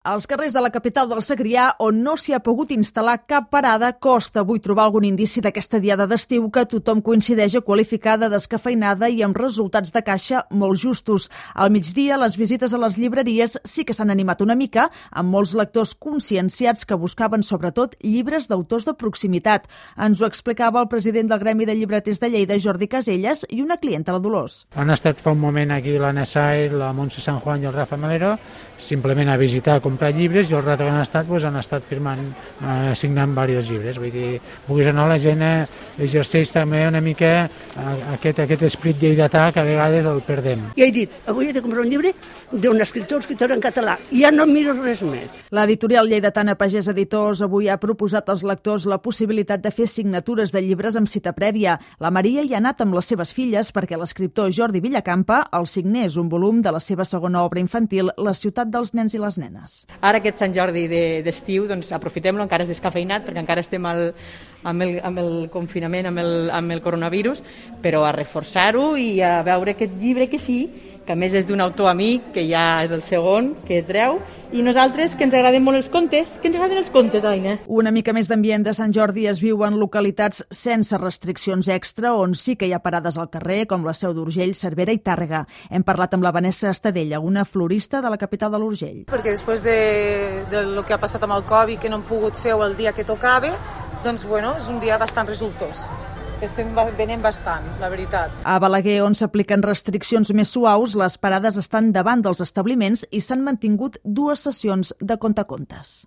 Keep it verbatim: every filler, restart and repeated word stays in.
Als carrers de la capital del Segrià, on no s'hi ha pogut instal·lar cap parada, costa avui trobar algun indici d'aquesta diada d'estiu que tothom coincideix a qualificar de descafeinada i amb resultats de caixa molt justos. Al migdia, les visites a les llibreries sí que s'han animat una mica, amb molts lectors conscienciats que buscaven sobretot llibres d'autors de proximitat. Ens ho explicava el president del Gremi de Llibreters de Lleida, Jordi Caselles, i una clienta, la Dolors. Han estat fa un moment aquí l'Anna Saiz, la Montse San Juan i el Rafa Melero, simplement a visitar, a comprar llibres, i el rato que han estat pues, han estat firmant, eh, signant diversos llibres. Vull dir, vulguis o no, la gent eh, exerceix també una mica eh, aquest, aquest esprit lleidatà que a vegades el perdem. I he dit, avui he de comprar un llibre d'un escriptor, escriptor en català, i ja no miro res més. L'editorial lleidatana Pagès Editors avui ha proposat als lectors la possibilitat de fer signatures de llibres amb cita prèvia. La Maria hi ha anat amb les seves filles perquè l'escriptor Jordi Villacampa els signés un volum de la seva segona obra infantil, La ciutat dels nens i les nenes. Ara aquest Sant Jordi d'estiu, doncs aprofitem-lo, encara és descafeinat perquè encara estem al, amb, el, amb el confinament, amb el, amb el coronavirus, però a reforçar-ho i a veure aquest llibre que sí, que a més és d'un autor amic, que ja és el segon que treu, i nosaltres, que ens agraden molt els contes, que ens agraden els contes, Aina. Una mica més d'ambient de Sant Jordi es viu en localitats sense restriccions extra, on sí que hi ha parades al carrer, com la Seu d'Urgell, Cervera i Tàrrega. Hem parlat amb la Vanessa Estadella, una florista de la capital de l'Urgell. Perquè després de, de lo que ha passat amb el Covid, que no hem pogut fer el dia que tocava, doncs bueno, és un dia bastant resultós. Estem venent bastant, la veritat. A Balaguer, on s'apliquen restriccions més suaus, les parades estan davant dels establiments i s'han mantingut dues sessions de contacontes.